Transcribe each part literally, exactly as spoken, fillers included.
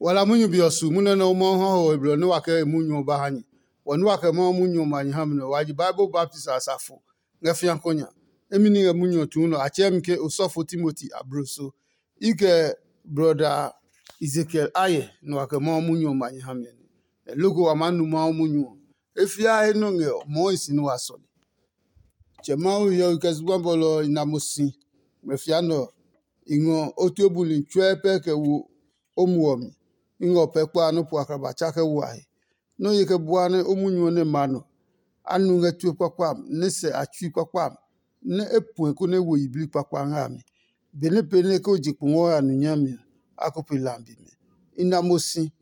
Wa la munyu be ɔ su munyu nɛ Mawu ha ho we blɔ nɛ wa kɛ e munyu ɔ ba ha nyɛ. Wɔ nɛ wa kɛ Mawu munyu ɔ ma nyɛ ha mi nɛ wa ji Bible baptist asafo ngɛ fĩa kɔ nya. Emi ní ngɛ munyu ɔ tuu nɔ a tsɛɛ mi ke osɔfo Timoti abloso. I kɛ brɔda Ezekiel ayɛ nɛ wa kɛ Mawu munyu ɔ ma nyɛ ha mi ɔ nɛ. Loko wa maa nu Mawu munyu ɔ. E fiaa he nɔ ngɛ ɔ, mɔɔ e si nɛ wa sɔle. Tsɛ Mawu hiɔwe kɛ zugba bɔlɔ ɔ i na mo si ngmlɛfia nɛ ɔ, i ngɔ o tue buli tsuɛ pɛ kɛ wo o muɔ mi. I ngɛ o pɛ kpa nɔ́ po akraba tsa kɛ wo a he. Nɔ́ ye kɛ bua nɛ o munyu ɔ nɛ ma nɔ. A nu ngɛ tue kpakpa a mi, nɛ sɛ a tsui kpakpa a mi, nɛ e puɛ konɛ e wo yiblii kpakpa ngɛ a mi. Benɛ pee nɛ ke o je kpongɔ ɔ ya nu nyami ɔ, a ko pe lambi mɛ. I na mo si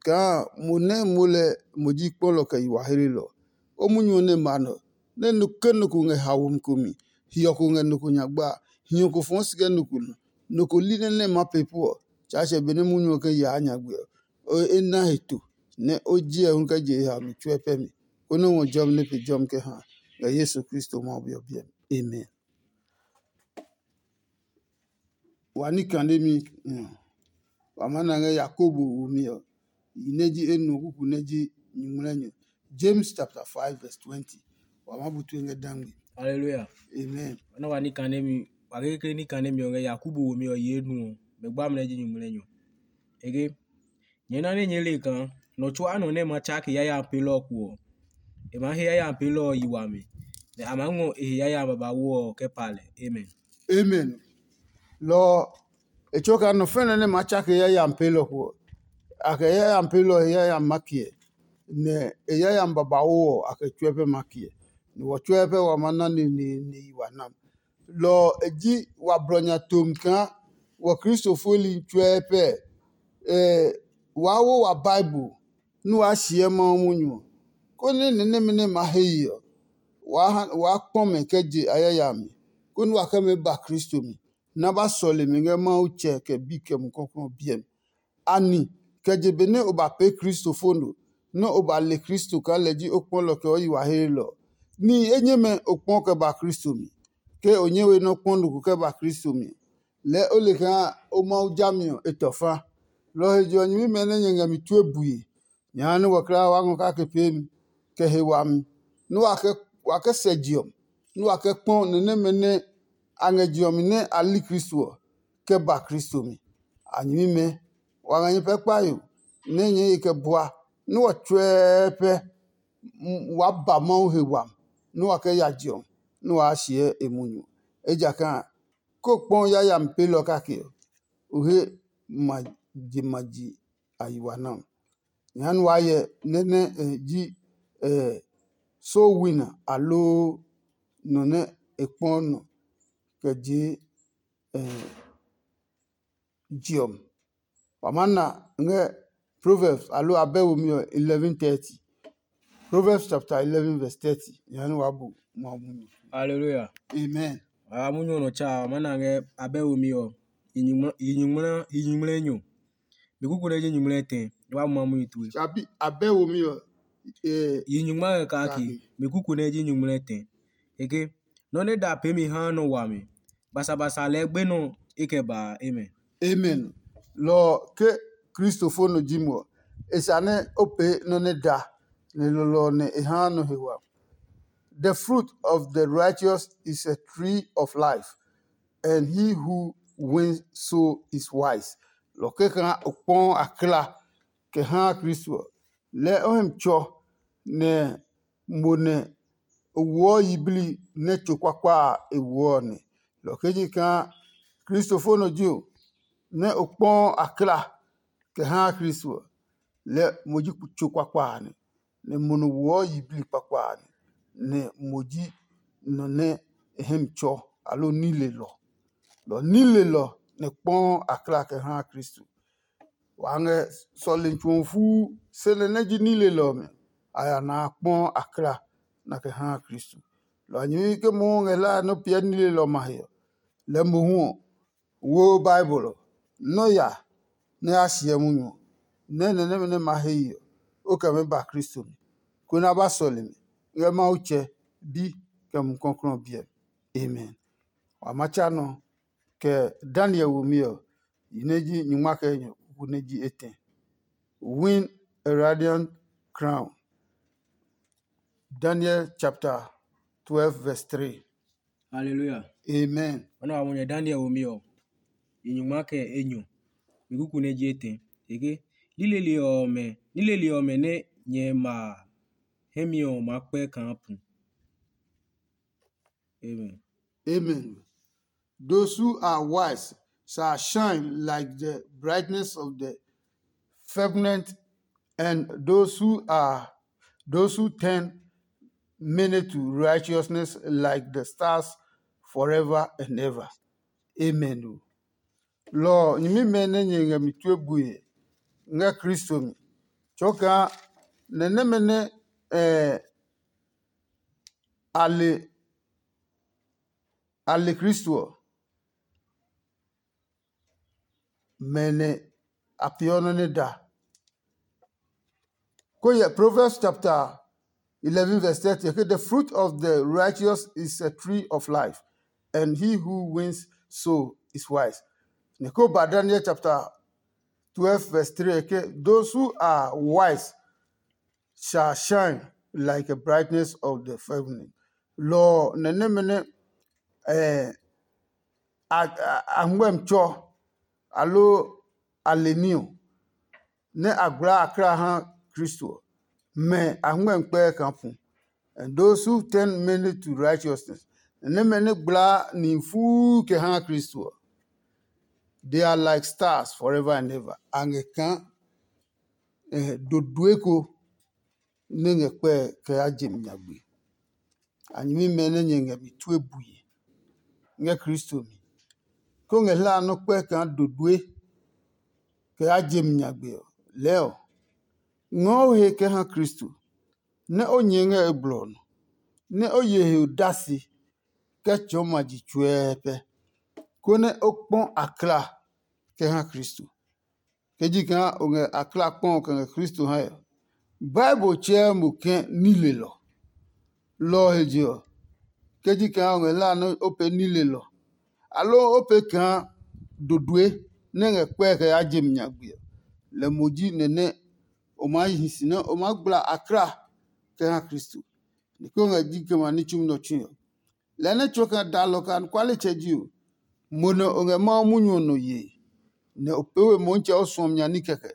kaa mo nɛ mo lɛ mo ji kpɔlɔ kɛ yi wa helelɔ. O munyu ɔ nɛ ma nɔ, nɛ ke nɔ ko ngɛ haomi ko mi, hiɔ ko ngɛ nɔ ko nyagba a, hiɔ ko fɔɔ si kɛ nɔ ko nɔ, nɔ ko li nɛ nɛ ma pee pu ɔ, Tsaatsɛ benɛ munyu ɔ kɛ yaa nyagbe ɔ, e na he to, nɛ o jiɛ hu kɛ je e haomi tsuɛ pɛ mi, konɛ o ngɔ jɔmi nɛ pe jɔmi kɛ ha ngɛ Yesu Kristo Mawu Bi ɔ biɛ mi. Amen. Wa ní kane mi, wa maa na ngɛ Yakobo womi ɔ, yi nɛ ji enuɔ kuku nɛ ji nyuŋmlɛnyɔ. James chapter five verse twenty. Wa maa bu tue ngɛ dangbe. Hallelujah. Amen. Nɔ wa ní kane mi, wa kekle ní kane mi ɔ ngɛ Yakobo womi ɔ yi enuɔ, mɛ gba mi nɛ ji nyuŋmlɛnyɔ. Ege, nyɛ na nɛ nyɛɛ le kaa nɔ tsuaa nɔ nɛ ma tsake yayami pelɔ ɔ kuɔ, e maa he yayami pelɔ ɔ yi wami, nɛ a maa ngɔ e he yayami babauu ɔ kɛ pa lɛ. Amen. Amen. Lɔ ɔ, e tsuo kaa nɔ fɛnɛ nɛ maa tsake yayami pelɔ kuɔ, a kɛ yayami pelɔ he yayami ma kiɛ, nɛ e yayami babauu ɔ a kɛ tsuɛ pɛ ma kiɛ, nɛ wɔ tsuɛ pɛ wa maa na neneene yi wa nam. Lɔ ɔ e ji wa blɔ nya tomi kaa wɔ Kristo fueli tsuɛ pɛ. Waa wo wa Bible nɛ waa shiɛ Mawu munyu ɔ, konɛ ni nɛmɛ nɛ ma he ye ɔ, waa kpɔ mɛ kɛ je a yayami, konɛ wa kɛ mɛ ba Kristo mi, nɛ a ba sɔle mi ngɛ Mawu Tsɛ kɛ Bi kɛ Mumi Klɔuklɔu ɔ biɛ mi. Ani kɛ je benɛ o ba pee kristofo no, nɛ o ba le Kristo kaa lɛ ji o kpɔlɔ kɛ o yi wa heelɔ ɔ, nihi enyɛmɛ o kpɔ kɛ ba Kristo mi? Ke o nyɛ we nɔ́ kpɔ nɔ ko kɛ ba Kristo mi, lɛɛ o le kaa o Mawu jami ɔ e tɔ fa. Lɔ ɔ he je ɔ, nyɛmimɛ nɛ nyɛ ngɛ mi tue bue, nyɛ ha nɛ wɔ kulaa wa ngɔ kake peemi, kɛ he wami, nɛ wa kɛ sɛ je ɔ, nɛ wa kɛ kpɔ ni nɛmɛ nɛ a ngɛ je ɔ mi nɛ a li Kristo ɔ, kɛ ba Kristo mi. A nyɛmimɛ, wa ngɛ nyɛ pɛ kpayo, nɛ nyɛɛ ye kɛ bua, nɛ wɔ tsuɛɛ pɛ waa ba Mawu he wami, nɛ wa kɛ ya je ɔ, nɛ waa shiɛ e munyu. Ejakaa ke o kpɔ yayami peelɔ kake ɔ, o he ma je ma ji a yi wa nɛ ɔ. Jehanɛ waa hyɛ nɛ nɛ e ji soul winner aloo nɔ nɛ e kpɔ nɔ kɛ jee je ɔ mi. Wa maa na ngɛ Proverbs aloo Abɛ womi ɔ eleven thirty. Proverbs chapter eleven verse thirty. Jehanɛ waa bu ma munyu. Hallelujah. Amen. A munyu ɔ nɔ tsa a maa na ngɛ Abɛ womi ɔ yi nyuŋmlɛ yi nyuŋmlɛ enyɔ. Mi kuku nɛ ji nyuŋmlɛ tɛ, wa ma munyu tue. Tsabi Abɛ womi ɔ. Yi nyuŋmlɛ kake, mi kuku nɛ ji nyuŋmlɛ tɛ. Eke nɔ nɛ da peemi haa nɔ wami, basabasa lɛɛ gbenɔ e kɛ ba. Amen. Amen. Lɔ ɔ ke kristofo nɔ ji mo ɔ, e sa nɛ o pee nɔ nɛ da, nɛ lɔlɔ ɔ nɛ e haa nɔ he wami. The fruit of the righteous is a tree of life, and he who wins soul is wise. Lɔ kɛkaa o kpɔɔ a kla kɛ haa Kristo ɔ, lɛɛ o hɛ mi tsɔ nɛ mo nɛ o woɔ yiblii nɛ tso kpakpa a e woɔ ɔ nɛ. Lɔ kɛji kaa kristofo nɔ ji o, nɛ o kpɔɔ a kla kɛ haa Kristo ɔ, lɛɛ mo ji tso kpakpa a nɛ, nɛ mo nɔ woɔ yiblii kpakpa a nɛ, nɛ mo ji nɔ nɛ e hɛ mi tsɔ aloo nilelɔ. Lɔ nilelɔ nɛ kpɔɔ a kla kɛ haa Kristo. Wa ngɛ sɔlemi tsu ɔ fuu, se nɛ nɛ ji nilelɔ ɔmɛ, a ya na a kpɔ a kla na kɛ haa Kristo. Lɔ ɔ nyɛmi ke mohu ngɛ hlae nɔ́ piɛ nilelɔ ɔmɛ a he ɔ, lɛɛ mohu ɔ, woo Bible ɔ, nɔ́ ya nɛ ya siɛ munyu ɔ, nɛ nɛ nɛmɛ nɛ ma he ye ɔ, o kɛ mɛ ba Kristo mi, konɛ a ba sɔle mi ngɛ Mawu Tsɛ, Bi, kɛ Mumi Klɔuklɔu ɔ biɛ mi. Amen. Wa ma tsa nɔ kɛ Daniel womi ɔ, yi nɛ ji nyingma kɛ enyɔ kuku nɛ ji etɛ. win a radiant crown. Daniel chapter twelve, verse three. Hallelujah. Amen. Wana wa mo nyɛ Daniel wo mi ɔ, yi nyungma kɛ enyo. Mi kuku nɛ ji etɛ. Eke, nilele ɔmɛ, nilele ɔmɛ nɛ nyɛ ma a, hɛ mi ɔ ma kpɛ kaa pu. Amen. Amen. Those who are wise shall shine like the brightness of the firmament, and those who are those who turn many to righteousness like the stars forever and ever. Amen. O. Lɔ ɔ, nyɛmimɛ nɛ nyɛ ngɛ mi tue bue ngɛ Kristo mi. Tsɔɔ kaa nɛ nɛmɛ nɛ eh, a le a le Kristo ɔ, mɛ nɛ a peeɔ nɔ́ nɛ da. Ko yɛ Proverbs chapter eleven verse thirty ke, "The fruit of the righteous is a tree of life, and he who wins soul is wise." Nɛ ko ba Daniel chapter twelve verse three ke, "Those who are wise shall shine like a brightness of the firmament." Lɔ ɔ nɛ nɛmɛ nɛ eh, a ngmɛmi tsɔ aloo a le ní ɔ, nɛ a gblaa a kla ha Kristo ɔ, mɛ a ngmɛmi kpɛɛ kaa pu. And those who turn many to righteousness, nɛ nɛmɛ nɛ gblaa nihi fuu kɛ ha Kristo ɔ, they are like stars forever and ever. A ngɛ kaa dodoe ko nɛ ngɛ kpɛe kɛ ya je mi nyagbe. A nyɛmimɛ nɛ nyɛ ngɛ mi tue bue ngɛ Kristo mi, kó ngɛ hlaa nɔ́ kpɛ kaa dodoe kɛ ya je mi nyagbe ɔ, lɛɛ ɔ, ngɔɔ o he kɛ ha Kristo, nɛ o nyɛɛ ngɛ e blɔ ɔ nɔ, nɛ o ye he odase kɛ tsɔɔ ma ji tsuɛɛpɛ, konɛ o kpɔ akla kɛ ha Kristo. Ke ji kaa o ngɛ akla kpɔ kɛ ngɛ Kristo hae ɔ, Bible tsɛɛ mo ke nilelɔ. Lɔ ɔ he je ɔ, ke ji kaa o ngɛ hlaa nɛ o pee nilelɔ, aloo o pee kaa dodoe nɛ ngɛ kpɛe kɛ yaa je mi nyagbe ɔ, lɛ mo ji nɛ nɛ o maa hi si nɛ o maa gbla akla kɛ ha Kristo. Ni ko ngɛ ji kɛ ma ní tsumi nɔ tsui ɔ. Lɛɛ nɛ tsuo kɛ daalɔ kɛ anɔkualetsɛ ji ɔ, mo nɛ o ngɛ Mawu munyu ɔ nɔ yee, nɛ o pee we Motsɛ o suɔmi nya ní kɛkɛ,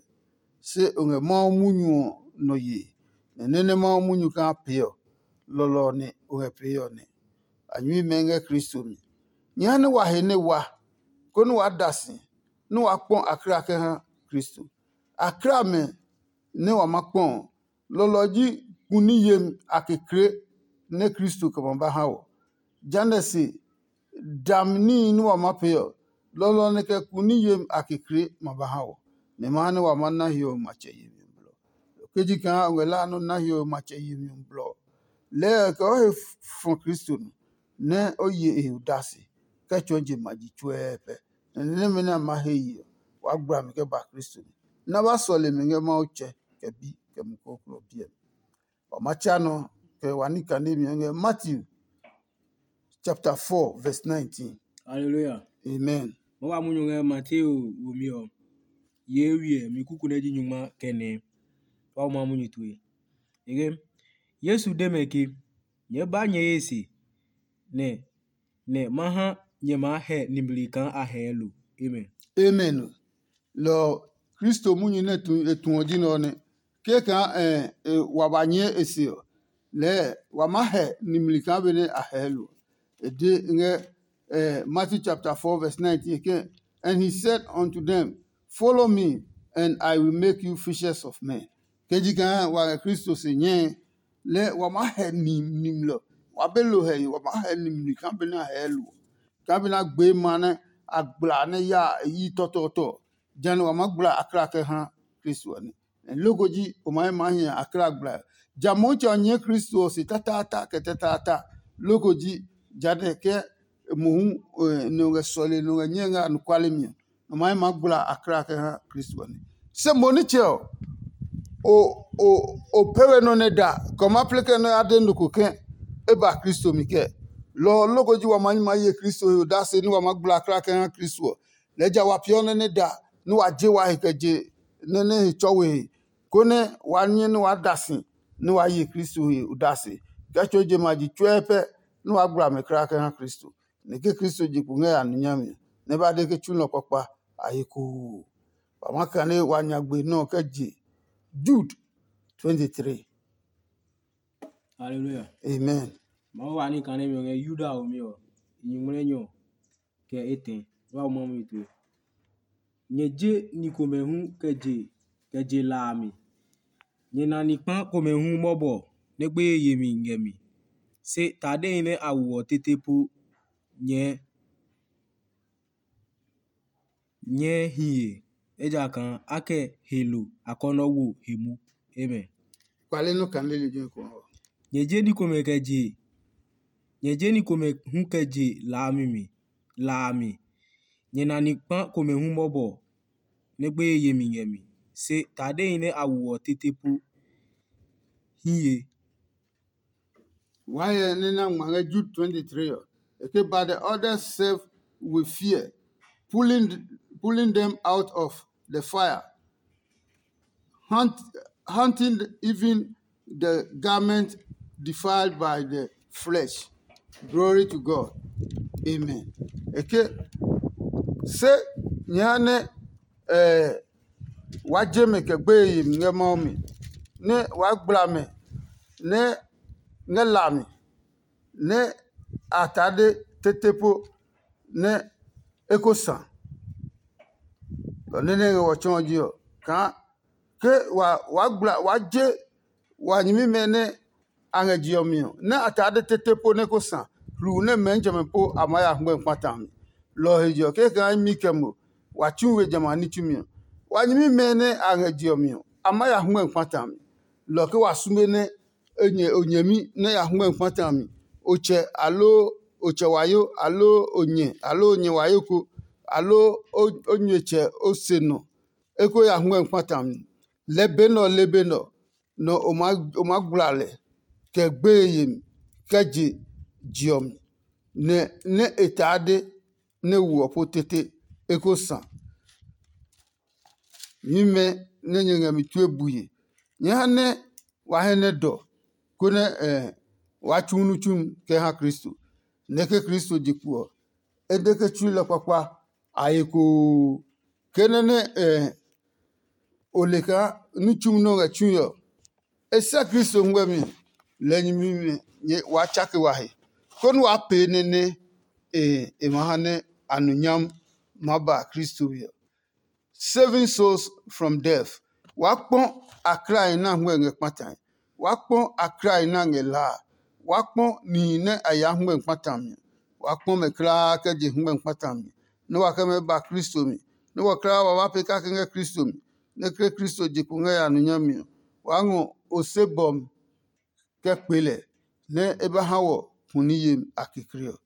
se o ngɛ Mawu munyu ɔ nɔ yee, nɛ nɛ nɛ Mawu munyu kaa pee ɔ, lɔlɔ ɔ nɛ o ngɛ pee ɔ nɛ. A nyuimɛ ngɛ Kristo mi. Nyɛ ha nɛ wa he nɛ wa, konɛ waa da si, nɛ waa kpɔ akla kɛ ha Kristo. Akla mɛ nɛ wa ma kpɔ ɔ, lɔlɔ ji kuni yemi a kekle nɛ Kristo kɛ ma ba ha wɔ. Jehanɛ se, dami níhi nɛ wa maa pee ɔ, lɔlɔ nɛ kɛ kuni yemi a kekle ma ba ha wɔ, nɛ ma ha nɛ wa maa na hiɔwe matsɛ yemi ɔ blɔ. Ke ji kaa o ngɛ la nɔ́ na hiɔwe matsɛ yemi ɔ blɔ ɔ, lɛɛ kɛ o he fɔ Kristo nɔ, nɛ o ye e he odase, kɛ tsɔɔ je ma ji tsuɛɛ pɛ. Nɛ ni nɛmɛ nɛ a ma he ye ɔ, waa gbla mi kɛ ba Kristo mi. Nɛ a ba sɔle mi ngɛ Mawu Tsɛ, kɛ Bi, kɛ Mumi Klɔuklɔu ɔ biɛ mi. Wa ma tsa nɔ kɛ wa ní kane mi ɔ ngɛ Matthew chapter four verse nineteen. Hallelujah. Amen. Mo wa munyu ngɛ Mateo wo mi ɔ, ye wiɛ mi kuku nɛ ji nyungma kɛ nɛ. Wa wo ma munyu tue. Ege, Yesu de mɛ ke, "Nyɛɛ ba nyɛ ye se, nɛ nɛ ma ha nyɛ maa hɛ nimli kaa a hɛɛ lo." Amen. Amen. Lɔ ɔ, Kristo munyu nɛ tu e tu ɔ ji nɛ ɔ nɛ. Ke kaa e wa ba nyɛɛ e se ɔ, lɛɛ wa maa hɛ nimli kaa benɛ a hɛɛ lo. E de ngɛ Matthew chapter four verse nineteen ke, "And he said unto them, 'Follow me, and I will make you fishers of men.'" Ke ji kaa wa ngɛ Kristo se nyɛe, lɛ wa maa hɛ nimlɔ, wa be lo hɛ wa maa hɛ nimli kaa benɛ a hɛɛ lo, kaa benɛ a gbee ma nɛ a gbla nɛ ya e yi tɔtɔɔtɔ. Jehanɛ wa maa gbla akla kɛ ha Kristo ɔ nɛ. Loko ji o maa maa hi akla gbla. Ja Motsɛ ɔ nyɛɛ Kristo ɔ se tataata kɛ tataata. Loko ji ja nɛ kɛ mohu nɔ ngɛ sɔle nɔ ngɛ nyɛɛ ngɛ anɔkuale mi ɔ, nɔ maa maa gbla akla kɛ ha Kristo ɔ nɛ. Se mo nitsɛ ɔ, o o o pɛ we nɔ nɛ da kɛ o ma plɛ kɛ nɔ ya de nɔ ko kɛ e ba Kristo mi kɛ. Lɔ ɔ loko ji wa ma nyi ma ye Kristo he odase nɛ wa ma gbla akla kɛ ha Kristo ɔ. Lɛɛ ja wa peeɔ nɛ nɛ da nɛ wa je wa he kɛ je nɛ nɛ he tsɔ we he. konɛ waa nyɛ nɛ waa da si nɛ waa ye Kristo he odase, kɛ tso je ma ji tsuɛ pɛ nɛ waa gbla mɛ kulaa kɛ ha Kristo. Nɛ ke Kristo je kpo ngɛ ya nɔ nyami ɔ, nɛ ba de ke tsulɔ kpakpa a he koo. Wa ma kane wa nya gbe nɔ kɛ je Jude twenty-three. Hallelujah. Amen. Mawu wa ní kane mi ɔ ngɛ Yuda ɔ mi ɔ, nyuŋmlɛ nyɔ kɛ etɛ wa wo mamu tue. Nyɛ je ni komɛ hu kɛ je kɛ je la a mi. Nyɛ na ni kpa komɛ hu mɔbɔ nɛ gbeye yemi ngɛ mi. Se tadehi nɛ a woɔ tete po nyɛɛ nyɛɛ hiye, ejakaa a kɛ he lo akɔnɔ wo he mu. Amen. Kpale nɔ kane lejɛ ko ɔ. Nyɛ je ni komɛ kɛ je nyɛ je ni komɛ hu kɛ je la a mi mi la a mi. Nyɛ na ni kpa komɛ hu mɔbɔ nɛ gbeye yemi ngɛ mi. Se tadehi nɛ a woɔ tete po hiye. Why nɛ na ngma ngɛ Jude twenty-three ɔ? E ke, but the others serve with fear, pulling pulling them out of the fire, hunt, hunting even the garment defiled by the flesh. Glory to God. Amen. E ke, se nyɛ ha nɛ eh, wa je mɛ kɛ gbeye yemi ngɛ Mawu mi, nɛ waa gbla mɛ nɛ ngɛ la mi, nɛ a taa de tete po nɛ e ko sa. Lɔ nɛ nɛ ngɛ wɔ tsɔɔ ji ɔ, kaa ke wa waa gbla waa je wa nyɛmimɛ nɛ a ngɛ je ɔ mi ɔ, nɛ a taa de tete po nɛ ko sa hluu nɛ mɛɛ nitsɔmɛ po a maa ya hngmɛ kpata a mi. Lɔ ɔ he je ɔ, kɛkɛ imi kɛ mo wa tsu we jamɛ a ní tsumi ɔ, wa nyɛmimɛ nɛ a ngɛ je ɔ mi ɔ, a maa ya hngmɛ kpata a mi. Lɔ ɔ ke wa sume nɛ o nyɛ o nyɛmi nɛ ya hngmɛ kpata a mi, o tsɛ aloo o tsɛ wayo aloo o nyɛ aloo o nyɛ wayo ko aloo o nyuetsɛ o se nɔ eko ya hngmɛ kpata a mi. Lɛɛ be nɛ ɔ le be nɛ ɔ, nɛ o maa gbla lɛ kɛ gbeye yemi kɛ je je ɔ mi, nɛ nɛ e taa de nɛ wo ɔ po tete e ko sa. Nyuimɛ nɛ nyɛ ngɛ mi tue bue, nyɛ ha nɛ wa hɛ nɛ dɔ, konɛ waa tsu nu tsumi kɛ ha Kristo. Nɛ ke Kristo je kpo ɔ, e de ke tsulɔ kpakpa a he koo. Ke nɛ nɛ o le kaa ní tsumi nɛ o ngɛ tsui ɔ, e sɛ Kristo ngmɛmi lɛ nyɛmimɛ waa tsake wa he, konɛ waa pee nɛ nɛ e ma ha nɛ a nu nyam maa ba Kristo we ɔ. Saving souls from death. Waa kpɔ aklae nɛ a hngmɛ ngɛ kpatae. Waa kpɔ aklae nɛ a ngɛ laa. Waa kpɔ nihi nɛ a yaa hngmɛ kpata mi. Waa kpɔ mɛ kulaa kɛ je hngmɛ kpata mi, nɛ wa kɛ mɛ ba Kristo mi, nɛ wɔ kulaa wa ba pee kake ngɛ Kristo mi, nɛ ke Kristo je kpo ngɛ ya nu nyami ɔ, waa ngɔ ose bɔmi kɛ kpe lɛ, nɛ e ba ha wɔ pu ní yemi a kekle ɔ.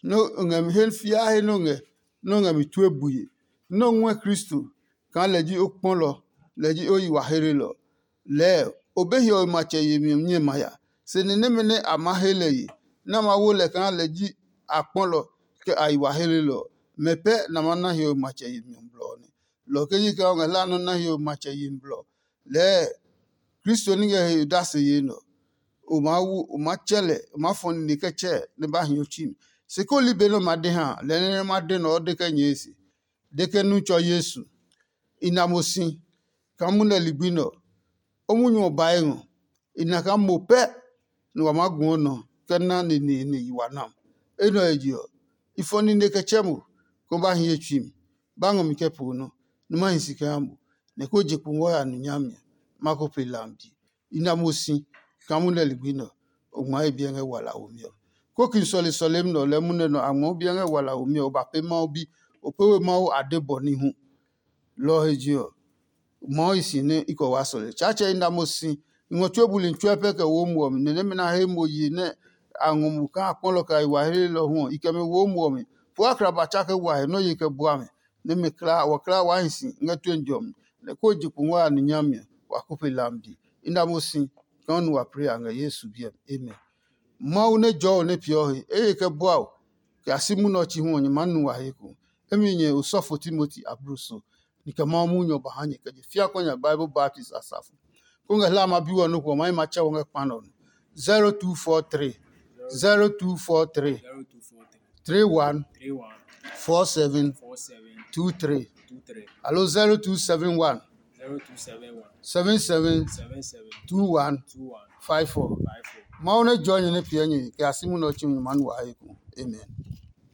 Nɛ o ngɛ mi he fiaa he nɛ o ngɛ nɛ o ngɛ mi tue bue, nɛ o ngɔɛ Kristo kaa lɛ ji o kpɔlɔ, lɛ ji o yi wa helelɔ. Lɛɛ o be hiɔwe matsɛ yemi ɔ nyɛ ma ya, se ni nɛmɛ nɛ a maa he lɛ ye, nɛ a ma wo lɛ kaa lɛ ji a kpɔlɔ kɛ a yi wa helelɔ ɔ, mɛ pɛ nɛ a maa na hiɔwe matsɛ yemi ɔ blɔ ɔ nɛ. Lɔ ɔ ke ji kaa o ngɛ hlaa nɔ́ na hiɔwe matsɛ yemi blɔ ɔ, lɛɛ Kristo ní ngɛ he odase yee nɛ ɔ, o maa wu, o maa tsɛ lɛ, o maa fɔ nine kɛ tsɛ nɛ ba hi o tsui mi. Se koo li be nɛ o ma de ha a, lɔ ɔ nɛ nɛ ma de nɛ ɔ de kɛ nyɛɛ se. De ke nu tsɔ Yesu. I na mo si kaa munɛ ligbi nɛ ɔ, o munyu ɔ bae ngɔ. I na kaa mo pɛ nɛ wa maa guɔ nɔ kɛ na neneene yi wa nam. Enɛ ɔ he je ɔ, i fɔ nine kɛ tsɛ mo, kɛ o ba hi ye tsui mi, ba ngɔ mi kɛ poo nɔ, nɛ ma hi si kɛ ha mo, nɛ ko je kpo ngɔ ya nu nyami ɔ, ma ko pe lamdi. I na mo si kaa munɛ ligbi nɛ ɔ, o ngmaa he biɛ ngɛ walaomi ɔ. Koki sɔle sɔlemi nɛ ɔ lɛɛ munɛ nɛ a ngmɔ biɛ ngɛ walaomi ɔ, o ba pee Mawu bi, o pee we Mawu ade bɔ ní hu. Lɔ ɔ he je ɔ, Mawu hi si nɛ i kɛ waa sɔle. Tsaatsɛ i na mo si, i ngɔ tsuo buli tsuɛ pɛ kɛ wo muɔ mi, nɛ nɛmɛ nɛ a he mo ye nɛ a ngɔ mo kaa a kpɔlɔ kɛ a yi wa helelɔ hu ɔ, i kɛ mɛ wo muɔ mi. Poo a kla ba tsa kɛ wa he nɔ́ ye kɛ bua mi, nɛ mɛ kla wa kla waa hi si ngɛ tue jɔmi, nɛ ko je kpo ngɔ ya ní nyami ɔ, wa ko pe lamdi. I na mo si kaa nu wa plee a ngɛ Yesu biɛ mi. Amen. Mawu nɛ jɔɔ nɛ peeɔ he, e ye kɛ bua o, kɛ a si munɛ ɔ chi hu ɔ, nyɛ maa nu wa he ko. Emi nyɛ osɔfo Timoti abluso, ni kɛ Mawu munyu ɔ ba ha nyɛ kɛ je fia kɔ nya Bible Baptist asafo. Ko ngɛ hla ma bi wɔ no ko ma ma cha wɔ ngɛ kpa nɔ. Zero two four three, zero two four three, three one, four seven, two three. Alo zero two seven one, seven seven, two one, five four. Mawu ne jɔ nyɛ ne piɛ nyɛ kɛ a si mu nɔ tsi nyɛ ma nu wa he ku. Amen.